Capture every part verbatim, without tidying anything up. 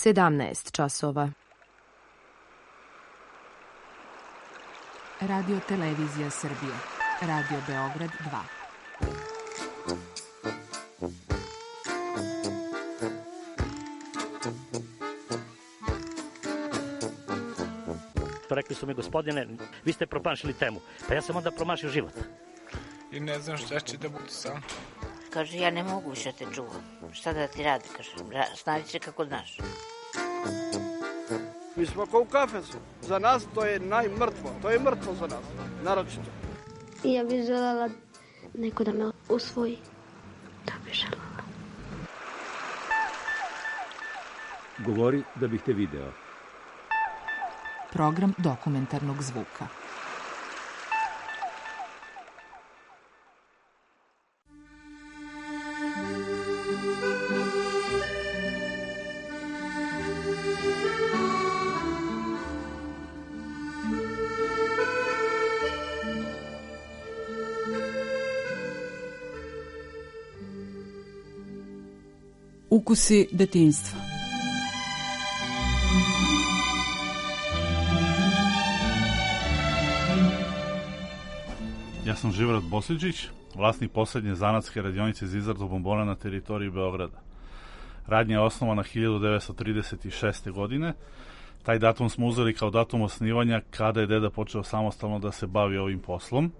sedamnaest časova. Radio Televizija Srbije. Radio Beograd dva. Rekli su mi, gospodine, vi ste promašili temu. Pa ja sam onda promašio život. I ne znam šta će da bude sam. Kaže, ja ne mogu više te čuvam. Šta da ti radi? Kaže, snađi se kako znaš. Mi smo kao u kafesu. Za nas to je najmrtvo. To je mrtvo za nas. Naročito. Ja bih želela neko da me usvoji. Da bih želela. Govori da bih te video. Program dokumentarnog zvuka. Ukusi detinjstva. Ja sam Živorad Bosiđić, vlasnik poslednje zanatske radionice za izradu bombona na teritoriji Beograda. Radnja je osnovana hiljadu devetsto trideset šeste. godine. Taj datum smo uzeli kao datum osnivanja kada je deda počeo samostalno da se bavi ovim poslom.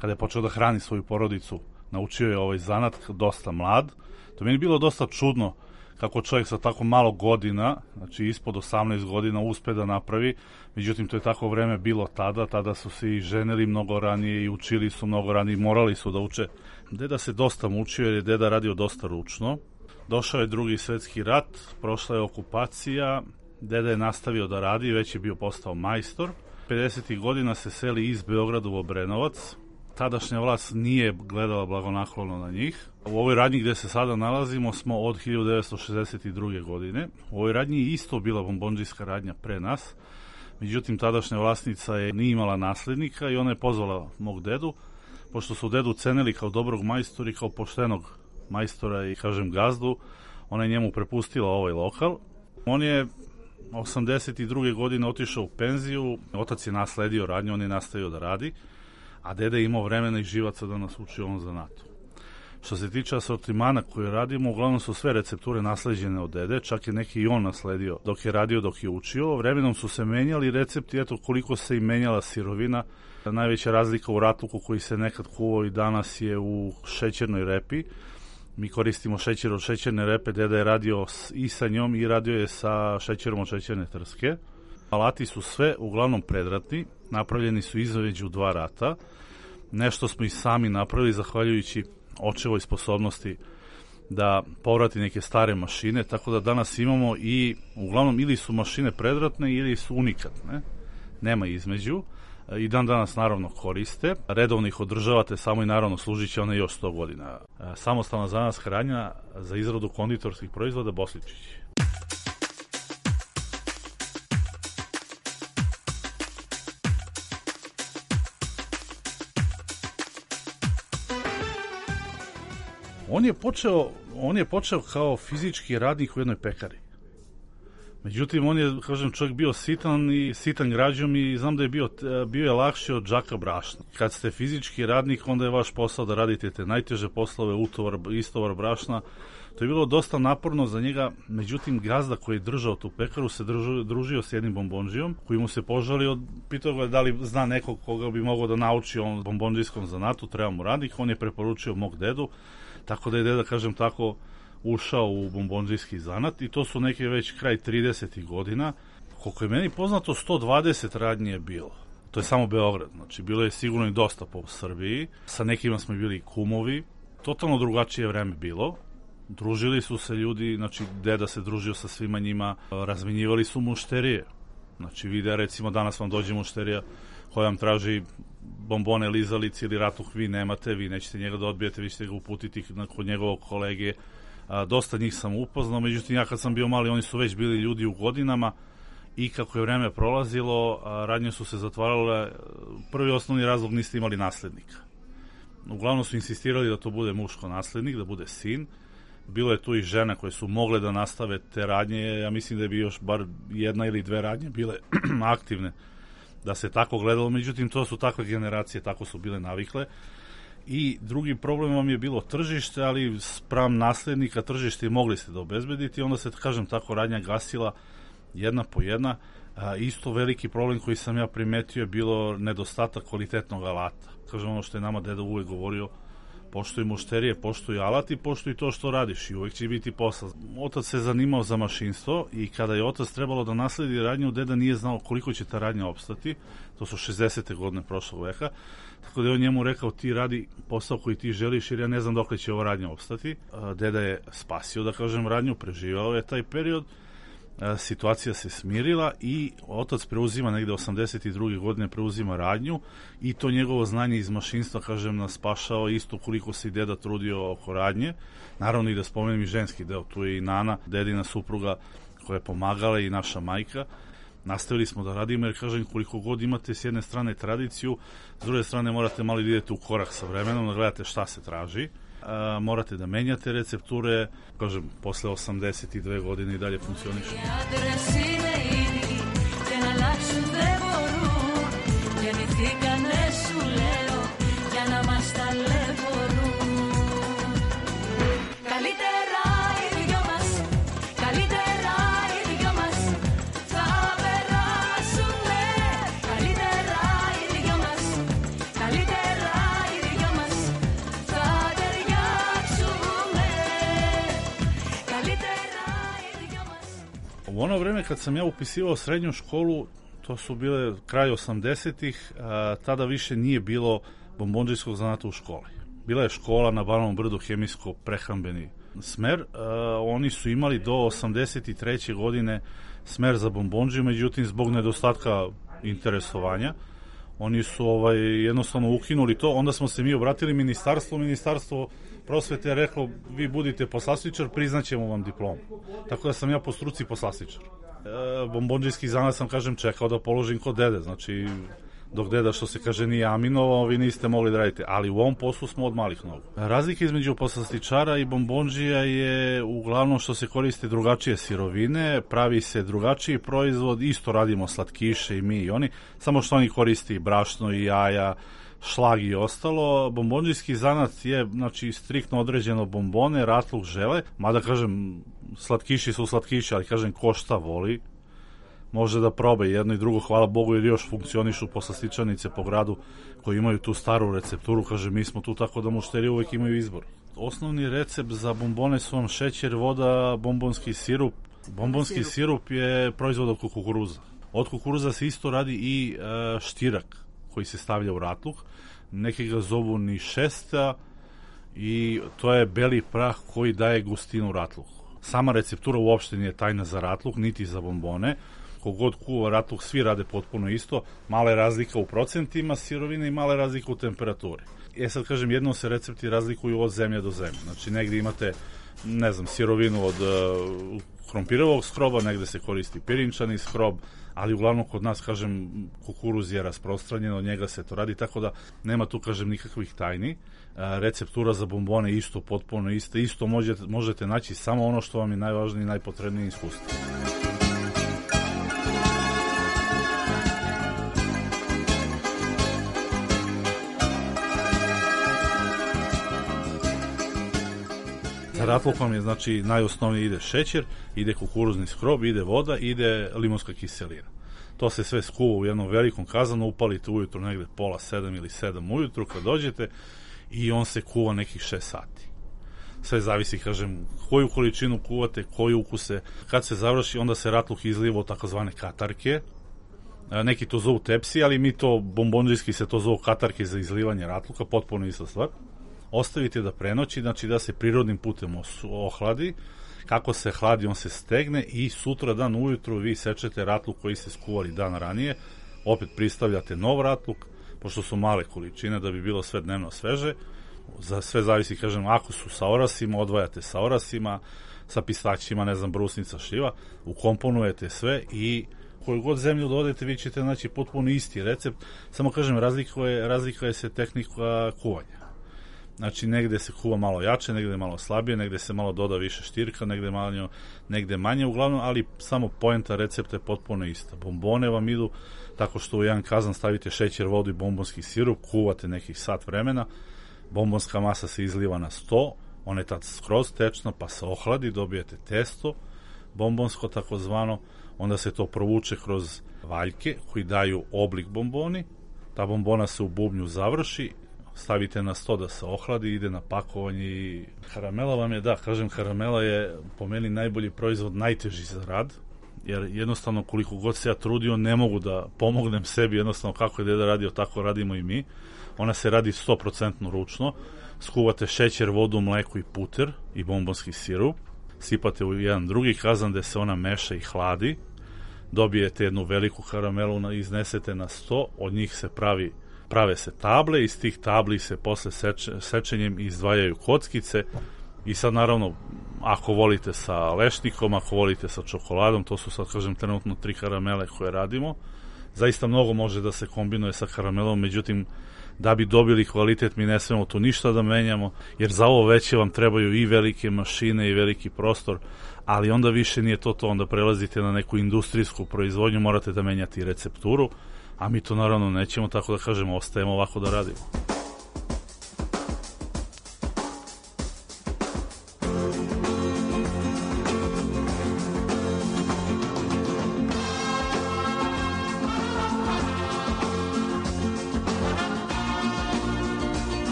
Kada je počeo da hrani svoju porodicu, naučio je ovaj zanat dosta mlad. To mi je bilo dosta čudno kako čovjek sa tako malo godina, znači ispod osamnaest godina, uspe da napravi. Međutim, to je tako vreme bilo tada. Tada su se i ženili mnogo ranije i učili su mnogo ranije, morali su da uče. Deda se dosta mučio jer je deda radio dosta ručno. Došao je drugi svetski rat, prošla je okupacija, deda je nastavio da radi, već je bio postao majstor. pedesetih godina se seli iz Beograda u Obrenovac. Tadašnja vlast nije gledala blagonaklono na njih. U ovoj radnji gde se sada nalazimo smo od hiljadu devetsto šezdeset druge. godine. U ovoj radnji je isto bila bombondžijska radnja pre nas. Međutim, tadašnja vlasnica je nije imala naslednika i ona je pozvala mog dedu. Pošto su dedu cenili kao dobrog majstora i kao poštenog majstora i, kažem, gazdu, ona je njemu prepustila ovaj lokal. On je osamdeset druge. godine otišao u penziju. Otac je nasledio radnju, on je nastavio da radi. A deda je imao vremena i živaca da nas uči ovom zanatu. Što se tiče asortimana koje radimo, uglavnom su sve recepture nasleđene od dede, čak je neki i on nasledio dok je radio, dok je učio. Vremenom su se menjali recepti, eto koliko se i menjala sirovina. Najveća razlika u ratluku koji se nekad kuvao i danas je u šećernoj repi. Mi koristimo šećer od šećerne repe, deda je radio i sa njom i radio je sa šećerom od šećerne trske. Alati su sve uglavnom predratni, napravljeni su između dva rata. Nešto smo i sami napravili zahvaljujući očevoj sposobnosti da povrati neke stare mašine, tako da danas imamo i uglavnom ili su mašine predratne ili su unikatne, nema između. I dan danas naravno koriste. Redovno ih održavate samo i naravno služit će one još sto godina. Samostalna zanatska radnja za izradu konditorskih proizvoda Bosičić. On je počeo, on je počeo kao fizički radnik u jednoj pekari. Međutim, on je, kažem, čovjek bio sitan i sitan građom i znam da je bio, bio je lakši od džaka brašna. Kad ste fizički radnik, onda je vaš posao da radite te najteže poslove, utovar, istovar brašna. To je bilo dosta naporno za njega, međutim, gazda koji je držao tu pekaru se držao, družio s jednim bombondžijom, koji mu se požalio, pitao ga da li zna nekog koga bi mogao da nauči on bombondžijskom zanatu, treba mu radnik, on je preporučio mog dedu, tako da je deda, kažem tako, ušao u bombondžijski zanat i to su neke već kraj tridesetih godina. Koliko je meni poznato, sto dvadeset radnje je bilo. To je samo Beograd, znači bilo je sigurno i dosta po Srbiji. Sa nekima smo bili kumovi, totalno drugačije vreme bilo. Družili su se ljudi, znači deda se družio sa svima njima, razmenjivali su mušterije. Znači vide, recimo danas vam dođe mušterija koja vam traži bombone, lizalice ili ratuh, vi nemate, vi nećete njega da odbijete, vi ćete ga uputiti kod njegovog kolege. A, dosta njih sam upoznao, međutim ja kad sam bio mali, oni su već bili ljudi u godinama i kako je vreme prolazilo, a, radnje su se zatvarale. Prvi osnovni razlog, niste imali naslednika. Uglavnom su insistirali da to bude muško naslednik, da bude sin. bilo je tu i žena koje su mogle da nastave te radnje, ja mislim da je bi još bar jedna ili dve radnje bile aktivne da se tako gledalo, međutim to su takve generacije, tako su bile navikle. I drugi problem vam je bilo tržište, ali spram naslednika tržište mogli ste da obezbedite i onda se, kažem, tako radnja gasila jedna po jedna. A, isto veliki problem koji sam ja primetio je bilo nedostatak kvalitetnog alata. Kažem, ono što je nama deda uvek govorio, poštuj mušterije, poštuj alat i poštuj to što radiš i uvek će biti posla. Otac se zanimao za mašinstvo i kada je otac trebalo da nasledi radnju, deda nije znao koliko će ta radnja opstati. To su šezdesete godine prošlog veka. Tako da je on njemu rekao, ti radi posao koji ti želiš jer ja ne znam dokle će ova radnja opstati. Deda je spasio, da kažem, radnju, preživao je taj period. Situacija se smirila i otac preuzima negde osamdeset druge godine preuzima radnju i to njegovo znanje iz mašinstva, kažem, nas spašao isto koliko se i deda trudio oko radnje. Naravno i da spomenem i ženski deo, tu je i Nana, dedina supruga koja je pomagala i naša majka. Nastavili smo da radimo jer, kažem, koliko god imate s jedne strane tradiciju, s druge strane morate malo da idete u korak sa vremenom, da gledate šta se traži. A, morate da menjate recepture, kažem, posle osamdeset dve godine i dalje funkcionišu. U ono vreme kad sam ja upisivao srednju školu, to su bile kraj osamdesetih, tada više nije bilo bombondžijskog zanata u školi. Bila je škola na Banovom brdu, hemijsko-prehrambeni smer. A, oni su imali do osamdeset treće godine smer za bombondžiju, međutim zbog nedostatka interesovanja oni su ovaj, jednostavno ukinuli to. Onda smo se mi obratili ministarstvu, ministarstvo prosvete je reklo, vi budite poslastičar, priznaćemo vam diplomu. Tako da sam ja po struci poslastičar. E, bombondžijski zanat sam, kažem, čekao da položim kod dede, znači dok deda, što se kaže, nije aminovao, vi niste mogli da radite, ali u ovom poslu smo od malih nogu. Razlika između poslastičara i bombondžija je uglavnom što se koriste drugačije sirovine, pravi se drugačiji proizvod, isto radimo slatkiše i mi i oni, samo što oni koriste i brašno i jaja, šlag i ostalo. Bombondžijski zanat je, znači, striktno određeno bombone, ratluk, žele, mada, kažem, slatkiši su slatkiši, ali, kažem, ko šta voli, može da proba jedno i drugo, hvala Bogu, jer još funkcionišu poslastičarnice po gradu koji imaju tu staru recepturu, kaže, mi smo tu tako da mušteri uvek imaju izbor. Osnovni recept za bombone su vam šećer, voda, bombonski sirup. Bombonski sirup je proizvod od kukuruza. Od kukuruza se isto radi i e, štirak koji se stavlja u ratluk. Neki ga zovu ni šesta i to je beli prah koji daje gustinu ratluku. Sama receptura uopšte nije tajna za ratluk, niti za bombone. Kogod kuva ratluk, svi rade potpuno isto, mala je razlika u procentima sirovine i mala je razlika u temperaturi. E sad, kažem, jednom se recepti razlikuju od zemlje do zemlje. Znači, negde imate, ne znam, sirovinu od uh, krompirovog skroba, negde se koristi pirinčani skrob, ali uglavnom kod nas, kažem, kukuruz je rasprostranjen, od njega se to radi, tako da nema tu, kažem, nikakvih tajni. Receptura za bombone isto, potpuno isto, isto možete, možete naći samo ono što vam je najvažnije i najpotrebnije iskustvo. Za ratluk vam je, znači, najosnovniji ide šećer, ide kukuruzni skrob, ide voda, ide limonska kiselina. To se sve skuva u jednom velikom kazanu, upalite ujutru negde pola sedam ili sedam ujutru kad dođete i on se kuva nekih šest sati. Sve zavisi, kažem, koju količinu kuvate, koji ukuse. Kad se završi, onda se ratluk izliva u takozvane katarke. Neki to zovu tepsi, ali mi to, bombondžijski se to zovu katarke za izlivanje ratluka, potpuno ista stvar. Ostavite da prenoći, znači da se prirodnim putem ohladi. Kako se hladi, on se stegne i sutra dan ujutru vi sečete ratluk koji ste skuvali dan ranije, opet pristavljate nov ratluk, pošto su male količine da bi bilo sve dnevno sveže. Za sve zavisi, kažem, ako su sa orasima, odvajate sa orasima, sa pistaćima, ne znam, brusnica, šljiva, ukomponujete sve i koju god zemlju dodajete, vi ćete naći potpuno isti recept, samo, kažem, razlikuje, razlikuje se tehnika kuvanja. Znači, negde se kuva malo jače, negde malo slabije, negde se malo doda više štirka, negde, malo, negde manje, uglavnom, ali samo poenta recepta je potpuno ista. Bombone vam idu tako što u jedan kazan stavite šećer, vodu i bombonski sirup, kuvate nekih sat vremena, bombonska masa se izliva na sto, ona je tad skroz tečna, pa se ohladi, dobijete testo, bombonsko takozvano, onda se to provuče kroz valjke koji daju oblik bomboni, ta bombona se u bubnju završi, stavite na sto da se ohladi, ide na pakovanje i karamela vam je, da, kažem, karamela je po meni najbolji proizvod, najteži za rad, jer jednostavno koliko god se ja trudio ne mogu da pomognem sebi, jednostavno kako je deda radio, tako radimo i mi. Ona se radi sto posto ručno, skuvate šećer, vodu, mleko i puter i bombonski sirup, sipate u jedan drugi kazan gde se ona meša i hladi, dobijete jednu veliku karamelu, iznesete na sto, od njih se pravi prave se table, iz tih tabli se posle seče, sečenjem izdvajaju kockice i sad naravno ako volite sa lešnikom, ako volite sa čokoladom, to su sad kažem trenutno tri karamele koje radimo, zaista mnogo može da se kombinuje sa karamelom, međutim da bi dobili kvalitet mi ne smemo tu ništa da menjamo, jer za ovo veće vam trebaju i velike mašine i veliki prostor, ali onda više nije to to, onda prelazite na neku industrijsku proizvodnju, morate da menjate i recepturu, a mi to naravno nećemo, tako da kažemo, ostajemo ovako da radimo.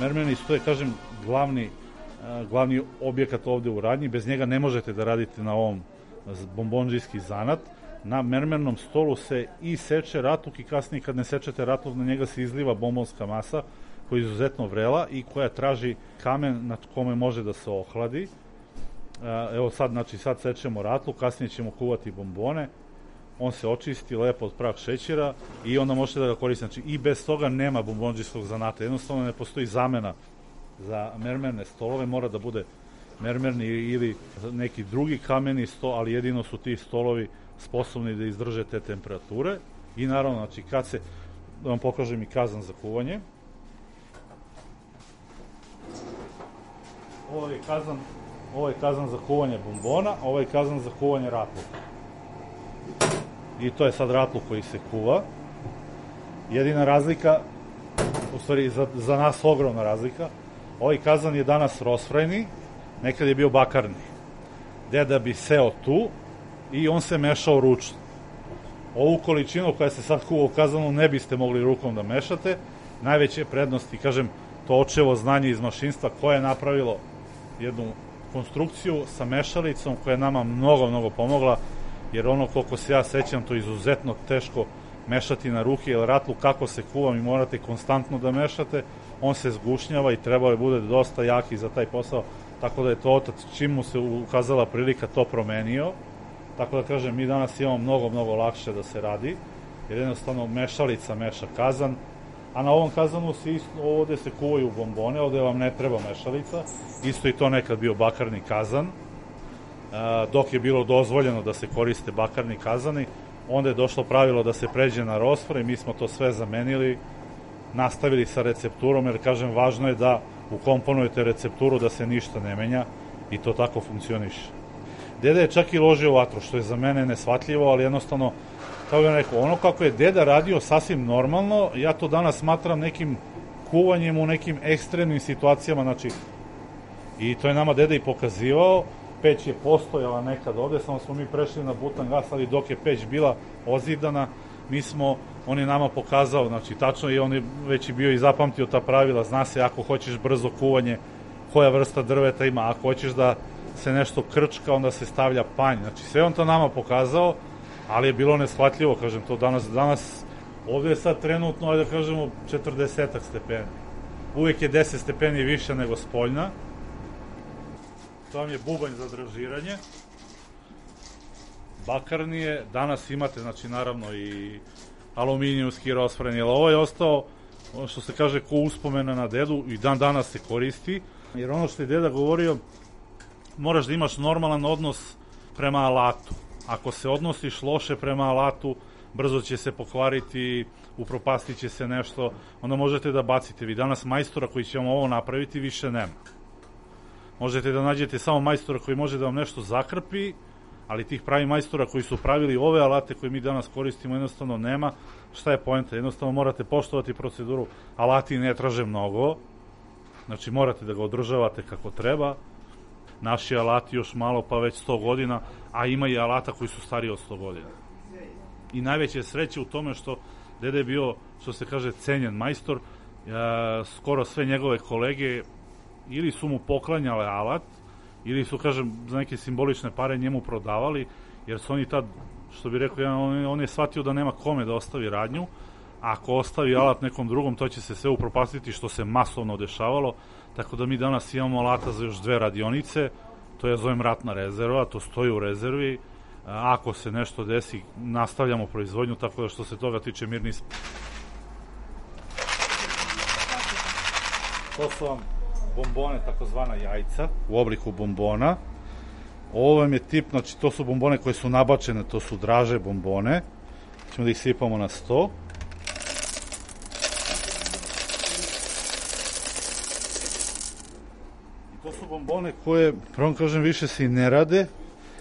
Mermeni to je, kažem, glavni, glavni objekat ovde u radnji, bez njega ne možete da radite na ovom bombondžijski zanat. Na mermernom stolu se i seče ratluk i kasnije kad ne sečete ratluk, na njega se izliva bombonska masa koja je izuzetno vrela i koja traži kamen na kome može da se ohladi. Evo sad, znači sad sečemo ratluk, kasnije ćemo kuvati bombone, on se očisti lepo od prah šećera i onda možete da ga koristite. Znači i bez toga nema bombondžijskog zanata, jednostavno ne postoji zamena za mermerne stolove, mora da bude mermerni ili neki drugi kameni sto, ali jedino su ti stolovi sposobni da izdrže te temperature. I naravno, znači kad se, da vam pokažem i kazan za kuvanje. Ovo je kazan, ovo je kazan za kuvanje bombona, ovo je kazan za kuvanje ratluka. I to je sad ratluk koji se kuva. Jedina razlika, u stvari za, za nas ogromna razlika, ovaj kazan je danas rosfrajni, nekad je bio bakarni. Deda bi seo tu i on se mešao ručno. Ovu količinu koja se sad kuva u kazanu ne biste mogli rukom da mešate. Najveće prednosti, kažem, to očevo znanje iz mašinstva koje je napravilo jednu konstrukciju sa mešalicom koja je nama mnogo, mnogo pomogla, jer ono koliko se ja sećam, to je izuzetno teško mešati na ruke, jer ratluk kako se kuva mi morate konstantno da mešate, on se zgušnjava i trebao je bude dosta jaki za taj posao, tako da je to otac, čim mu se ukazala prilika, to promenio. Tako da kažem, mi danas imamo mnogo, mnogo lakše da se radi. jer jednostavno mešalica meša kazan, a na ovom kazanu se isto, ovde se kuvaju bombone, ovde vam ne treba mešalica, isto i to nekad bio bakarni kazan, dok je bilo dozvoljeno da se koriste bakarni kazani, onda je došlo pravilo da se pređe na rosfre i mi smo to sve zamenili, nastavili sa recepturom, jer kažem, važno je da ukomponujete recepturu da se ništa ne menja i to tako funkcioniše. Deda je čak i ložio vatru, što je za mene neshvatljivo, ali jednostavno, kao bih rekao, ono kako je deda radio sasvim normalno, ja to danas smatram nekim kuvanjem u nekim ekstremnim situacijama, znači, i to je nama deda i pokazivao. Peć je postojala nekad ovde, samo smo mi prešli na butan gas, ali dok je peć bila ozidana, mi smo, on je nama pokazao, znači tačno, i on je već i bio i zapamtio ta pravila, zna se ako hoćeš brzo kuvanje, koja vrsta drveta ima, ako hoćeš da se nešto krčka, onda se stavlja panj, znači sve on to nama pokazao, ali je bilo neshvatljivo, kažem, to danas, danas, ovde je sad trenutno, ajde da kažemo, četrdesetak stepeni, uvek je deset stepeni više nego spoljna. To vam je bubanj za dražiranje. Bakarni je, danas imate, znači naravno i aluminijumski rosfren, jer ovo je ostao, ono što se kaže, ko uspomena na dedu, i dan danas se koristi, jer ono što je deda govorio, moraš da imaš normalan odnos prema alatu. Ako se odnosiš loše prema alatu, brzo će se pokvariti, upropastit će se nešto, onda možete da bacite. Vi danas majstora koji će vam ovo napraviti više nema. Možete da nađete samo majstora koji može da vam nešto zakrpi, ali tih pravi majstora koji su pravili ove alate koje mi danas koristimo jednostavno nema. Šta je poenta? Jednostavno morate poštovati proceduru. Alati ne traže mnogo, znači morate da ga održavate kako treba. Naši alati još malo pa već sto godina, a ima i alata koji su stariji od sto godina. I najveće sreće u tome što deda je bio, što se kaže, cenjen majstor, skoro sve njegove kolege ili su mu poklanjale alat, ili su, kažem, za neke simbolične pare njemu prodavali, jer su oni tad, što bi rekao, on, on je shvatio da nema kome da ostavi radnju, a ako ostavi alat nekom drugom, to će se sve upropastiti, što se masovno dešavalo, tako da mi danas imamo alata za još dve radionice, to ja zovem ratna rezerva, to stoji u rezervi, ako se nešto desi, nastavljamo proizvodnju, tako da što se toga tiče mirni smo. To su vam bombone, takozvana jajca, u obliku bombona. Ovo vam je tip, znači to su bombone koje su nabačene, to su draže bombone. Ćemo da ih sipamo na sto. I to su bombone koje, prvom kažem, više se i ne rade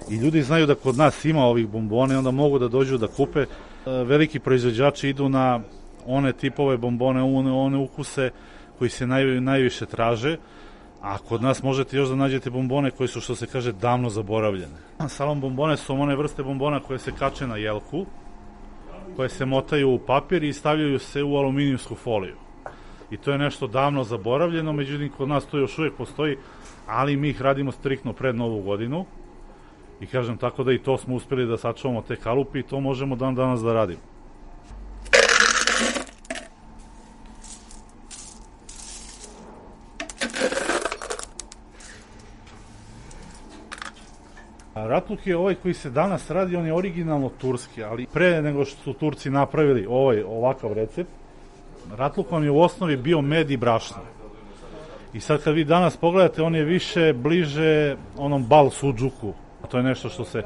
i ljudi znaju da kod nas ima ovih bombona i onda mogu da dođu da kupe. Veliki proizvođači idu na one tipove bombone, one, one ukuse koji se naj, najviše traže, a kod nas možete još da nađete bombone koji su, što se kaže, davno zaboravljene. Salon bombone su one vrste bombona koje se kače na jelku, koje se motaju u papir i stavljaju se u aluminijumsku foliju. I to je nešto davno zaboravljeno, međutim kod nas to još uvijek postoji, ali mi ih radimo striktno pred Novu godinu i kažem tako da i to smo uspeli da sačuvamo te kalupi i to možemo dan danas da radimo. Ratluk je ovaj koji se danas radi, on je originalno turski, ali pre nego što su Turci napravili ovaj ovakav recept, ratluk vam je u osnovi bio med i brašno. I sad kad vi danas pogledate, on je više bliže onom bal suđuku. To je nešto što se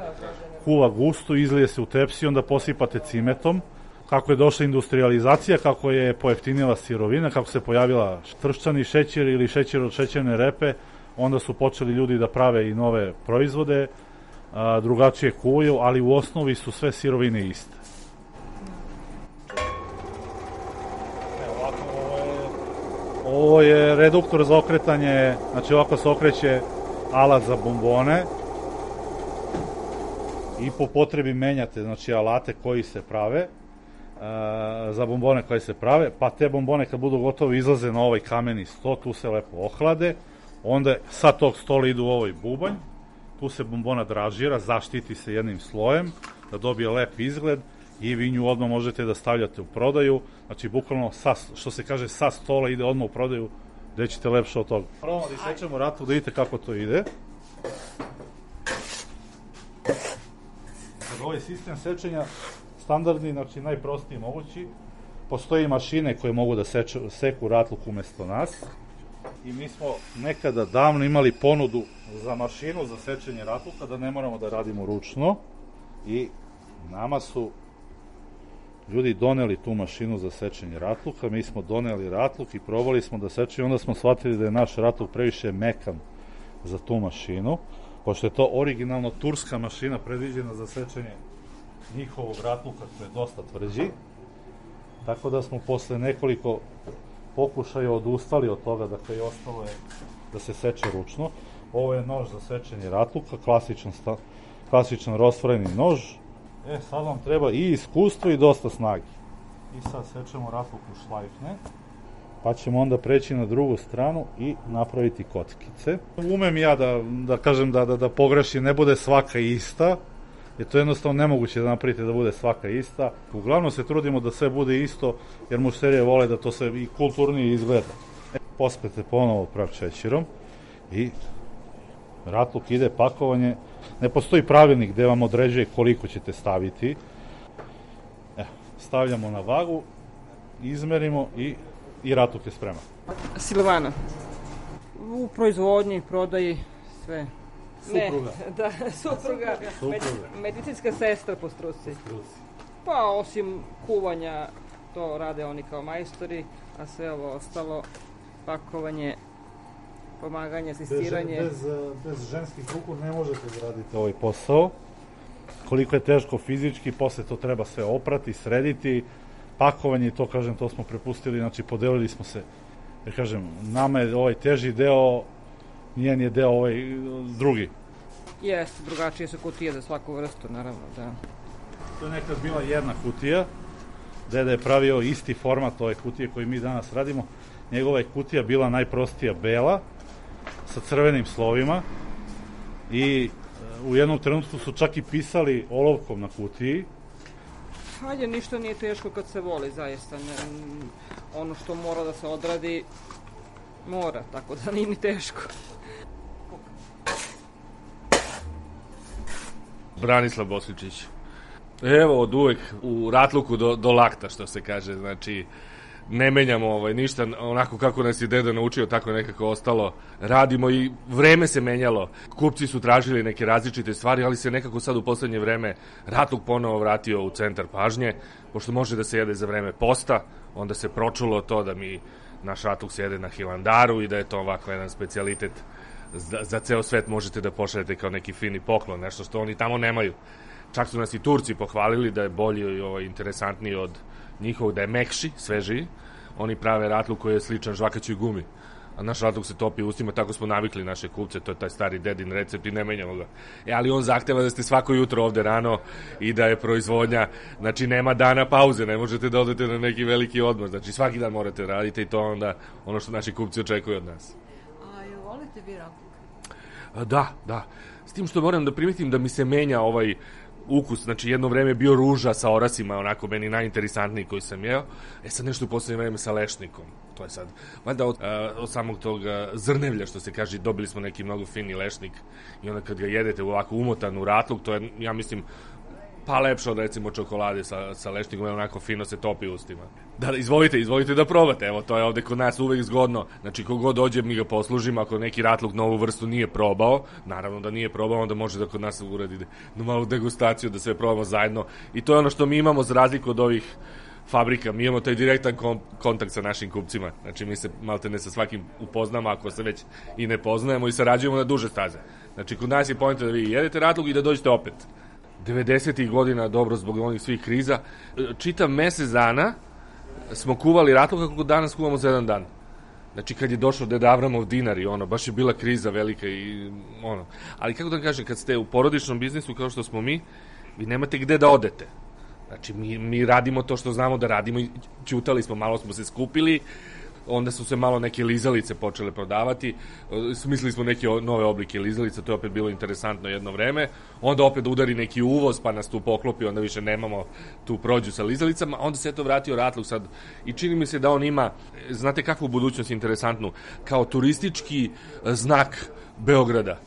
kuva gusto, izlije se u tepsi, onda posipate cimetom. Kako je došla industrializacija, kako je pojeftinila sirovina, kako se pojavila tršćani šećer ili šećer od šećerne repe, onda su počeli ljudi da prave i nove proizvode, a, drugačije kuvaju, ali u osnovi su sve sirovine iste. Evo, ovako, ovo, je, ovo je reduktor za okretanje, znači ovako se okreće alat za bombone i po potrebi menjate, znači, alate koji se prave, a, za bombone koje se prave, pa te bombone kad budu gotovi izlaze na ovaj kameni sto, tu se lepo ohlade, onda sa tog stola idu u ovaj bubanj, tu se bombona dražira, zaštiti se jednim slojem, da dobije lep izgled i vi nju odmah možete da stavljate u prodaju, znači bukvalno sa, što se kaže sa stola ide odmah u prodaju, gde ćete lepše od toga. Probamo da isečemo ratluk, da vidite kako to ide. Ovaj sistem sečenja standardni, znači najprostiji mogući. Postoji mašine koje mogu da seče, seku ratluk umesto nas. I mi smo nekada davno imali ponudu za mašinu za sečenje ratluka, da ne moramo da radimo ručno. I nama su ljudi doneli tu mašinu za sečenje ratluka, mi smo doneli ratluk i probali smo da sečemo, onda smo shvatili da je naš ratluk previše mekan za tu mašinu, pošto je to originalno turska mašina predviđena za sečenje njihovog ratluka, koji je dosta tvrđi, tako da smo posle nekoliko pokušaja odustali od toga, dakle i ostalo je da se seče ručno. Ovo je nož za sečenje ratluka, klasičan, klasičan rostvoreni nož. E, sad vam treba i iskustvo i dosta snage. I sad sečemo ratluk u šlajfne, pa ćemo onda preći na drugu stranu i napraviti kockice. Umem ja da, da kažem da, da, da pogrešim, ne bude svaka ista, jer to je jednostavno nemoguće da napravite da bude svaka ista. Uglavnom se trudimo da sve bude isto, jer mušterije vole da to sve i kulturnije izgleda. E, pospete ponovo prah šećerom i ratluk ide pakovanje. Ne postoji pravilnik gde vam određuje koliko ćete staviti. E, stavljamo na vagu, izmerimo i, i ratluk je spreman. Silvana. U proizvodnji, prodaji, sve. Supruga. Ne, da, supruga. Med, medicinska sestra po struci. Pa osim kuvanja, to rade oni kao majstori, a sve ovo ostalo, pakovanje, pomaganje, asistiranje. Bez, bez, bez ženskih ruku ne možete da radite ovaj posao. Koliko je teško fizički, posle to treba sve oprati, srediti, pakovanje i to, kažem, to smo prepustili, znači podelili smo se, jer kažem, nama je ovaj teži deo, njen je deo ovaj drugi. Jeste, drugačije su kutije za svaku vrstu, naravno, da. To je nekad bila jedna kutija, deda je pravio isti format ove kutije koji mi danas radimo. Njegova je kutija bila najprostija bela, sa crvenim slovima i u jednom trenutku su čak i pisali olovkom na kutiji. Hajde, ništa nije teško kad se voli, zaista. Ne, ono što mora da se odradi, mora, tako da nije ni teško. Branislav Bosličić. Evo, od uvek u ratluku do, do lakta, što se kaže, znači ne menjamo ovaj, ništa, onako kako nas je deda naučio, tako je nekako ostalo. Radimo i vreme se menjalo. Kupci su tražili neke različite stvari, ali se nekako sad u poslednje vreme ratluk ponovo vratio u centar pažnje, pošto može da se jede za vreme posta, onda se pročulo to da mi naš ratluk se jede na Hilandaru i da je to ovako jedan specijalitet za, za ceo svet, možete da pošaljete kao neki fini poklon, nešto što oni tamo nemaju. Čak su nas i Turci pohvalili da je bolji i ovaj, interesantniji od njihovog, da je mekši, svežiji. Oni prave ratluk koji je sličan žvakaćoj gumi. A naš ratluk se topi u ustima, tako smo navikli naše kupce, to je taj stari dedin recept i ne menjamo ga. E, ali on zahteva da ste svako jutro ovde rano i da je proizvodnja, znači nema dana pauze, ne možete da odete na neki veliki odmor, znači svaki dan morate da radite i to onda ono što naši kupci očekuju od nas. A jel volite vi ratluk? A, da, da. S tim što moram da primetim da mi se menja ovaj ukus, znači jedno vreme je bio ruža sa orasima, onako meni najinteresantniji koji sam jeo, e sad nešto u poslednje vreme sa lešnikom, to je sad, valjda od, od samog tog zrnevlja, što se kaže, dobili smo neki mnogo fini lešnik i onda kad ga jedete ovako umotan u ratluk, to je, ja mislim, pa lepše od recimo čokolade sa, sa lešnikom, je onako fino se topi u ustima. Da, izvolite, izvolite da probate, evo, to je ovde kod nas uvek zgodno, znači kogod dođe mi ga poslužimo, ako neki ratluk novu vrstu nije probao, naravno da nije probao, onda može da kod nas uradi na malu degustaciju, da sve probamo zajedno i to je ono što mi imamo za razliku od ovih fabrika, mi imamo taj direktan kon- kontakt sa našim kupcima, znači mi se malte ne sa svakim upoznamo, ako se već i ne poznajemo i sarađujemo na duže staze, znači kod nas je poenta da vi jedete ratluk i da dođete opet. devedesetih godina, dobro, zbog onih svih kriza, čitam mesec dana smo kuvali ratluk kako danas kuvamo za jedan dan. Znači kad je došao Deda Avramov dinar i ono, baš je bila kriza velika i ono. Ali kako da kažem, kad ste u porodičnom biznisu kao što smo mi, vi nemate gde da odete. Znači mi, mi radimo to što znamo da radimo i ćutali smo, malo smo se skupili, onda su se malo neke lizalice počele prodavati, smislili smo neke nove oblike lizalica, to je opet bilo interesantno jedno vreme, onda opet udari neki uvoz pa nas tu poklopi, onda više nemamo tu prođu sa lizalicama, onda se to vratio ratluk sad i čini mi se da on ima, znate kakvu budućnost interesantnu, kao turistički znak Beograda.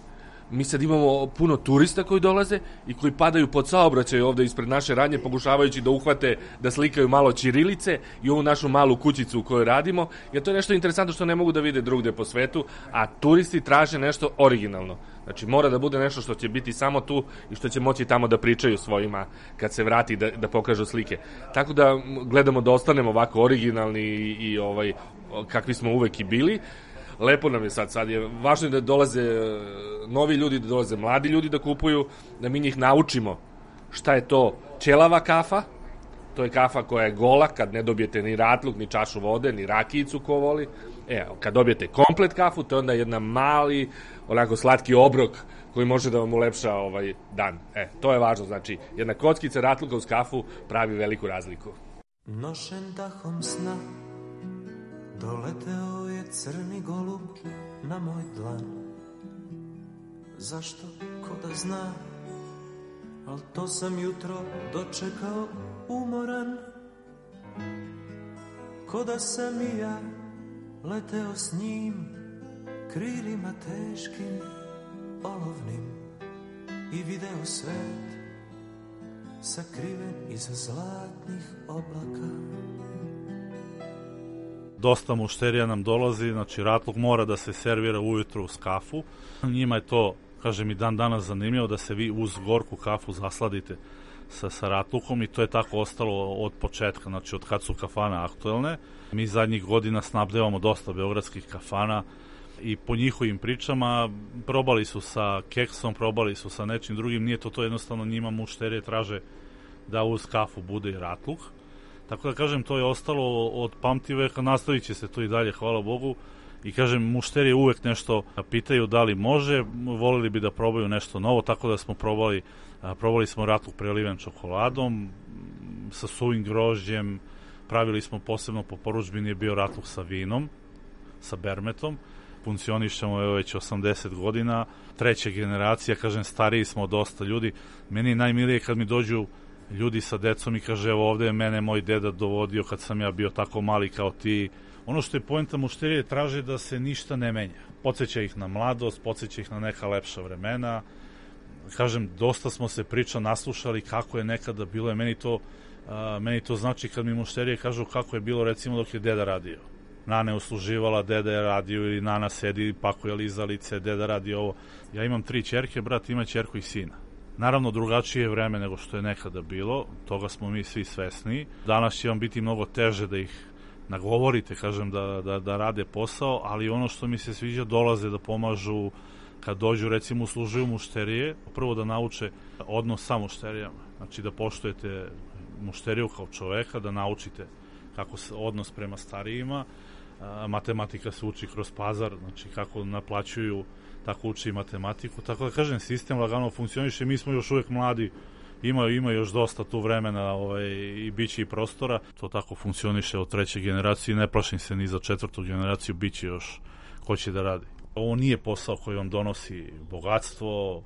mi sad imamo puno turista koji dolaze i koji padaju pod saobraćaj ovde ispred naše radnje, pokušavajući da uhvate, da slikaju malo ćirilice i ovu našu malu kućicu u kojoj radimo, jer to je nešto interesantno što ne mogu da vide drugde po svetu, a turisti traže nešto originalno. Znači, mora da bude nešto što će biti samo tu i što će moći tamo da pričaju svojima kad se vrati da, da pokažu slike. Tako da gledamo da ostanemo ovako originalni i, i ovaj, kakvi smo uvek i bili. Lepo nam je sad, sad je važno da dolaze novi ljudi, da dolaze mladi ljudi da kupuju, da mi njih naučimo šta je to ćelava kafa, to je kafa koja je gola, kad ne dobijete ni ratluk, ni čašu vode, ni rakijicu ko voli. E, kad dobijete komplet kafu, to je onda jedna mali, onako slatki obrok koji može da vam ulepša ovaj dan. E, to je važno, znači, jedna kockica ratluka uz kafu pravi veliku razliku. Nošen dahom sna doleteo je crni golub na moj dlan. Zašto, ko da zna, al to sam jutro dočekao umoran. Ko da sam i ja leteo s njim krilima teškim, olovnim i video svet sakriven iza zlatnih oblaka. Dosta mušterija nam dolazi, znači ratluk mora da se servira ujutru uz kafu. Njima je to, kažem i dan danas zanimljivo, da se vi uz gorku kafu zasladite sa, sa ratlukom i to je tako ostalo od početka, znači od kad su kafane aktuelne. Mi zadnjih godina snabdevamo dosta beogradskih kafana i po njihovim pričama probali su sa keksom, probali su sa nečim drugim, nije to to jednostavno, njima mušterije traže da uz kafu bude i ratluk. Tako da kažem, to je ostalo od pamtiveka, nastavit će se to i dalje, hvala Bogu. I kažem, mušterije uvek nešto pitaju da li može, volili bi da probaju nešto novo, tako da smo probali, probali smo ratluk preliven čokoladom, sa suvim grožđem, pravili smo posebno po poručbini je bio ratluk sa vinom, sa bermetom. Funkcionišemo je već osamdeset godina, treća generacija, kažem, stariji smo dosta ljudi. Meni je najmilije kad mi dođu ljudi sa decom i kaže, evo ovde je mene moj deda dovodio kad sam ja bio tako mali kao ti. Ono što je poenta mušterije, traže da se ništa ne menja. Podsjeća ih na mladost, podsjeća ih na neka lepša vremena. Kažem, dosta smo se priča naslušali kako je nekada bilo, je meni to, a, meni to znači kad mi mušterije kažu kako je bilo recimo dok je deda radio. Nana je usluživala, deda je radio ili Nana sedi, pakuje lizalice, deda radi ovo. Ja imam tri ćerke, brat ima ćerku i sina. Naravno, drugačije je vreme nego što je nekada bilo, toga smo mi svi svesni. Danas će vam biti mnogo teže da ih nagovorite, kažem, da, da, da rade posao, ali ono što mi se sviđa, dolaze da pomažu kad dođu, recimo, uslužuju mušterije, prvo da nauče odnos sa mušterijama, znači da poštujete mušteriju kao čoveka, da naučite kako se odnos prema starijima, matematika se uči kroz pazar, znači kako naplaćuju, tako uči i matematiku, tako da kažem, sistem lagano funkcioniše, mi smo još uvek mladi, ima, ima još dosta tu vremena ovaj, i biće i prostora, to tako funkcioniše od treće generacije, ne plašim se ni za četvrtu generaciju, biće još ko će da radi. Ovo nije posao koji vam donosi bogatstvo,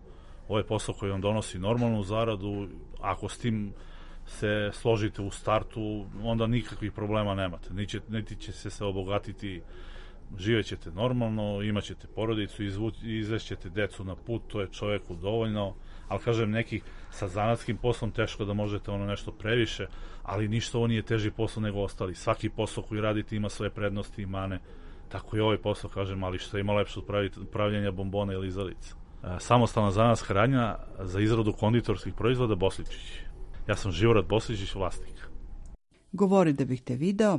ovo je posao koji vam donosi normalnu zaradu, ako s tim se složite u startu, onda nikakvih problema nemate, niti, niti će se se obogatiti, živećete normalno, imaćete porodicu, izvešćete decu na put, to je čoveku dovoljno, ali kažem, neki sa zanatskim poslom teško da možete ono nešto previše, ali ništa ovo nije teži posao nego ostali. Svaki posao koji radite ima svoje prednosti i mane, tako i ovaj posao, kažem, ali što ima lepše od pravljenja bombona ili lizalica. Samostalna zanatska radnja za izradu konditorskih proizvoda Bosličić. Ja sam Živorad Bosličić, vlasnik. Govori da bih te video,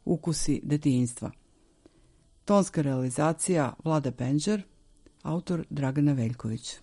ukusi detinjstva. Tonska realizacija Vlada Penđer, autor Dragana Veljković.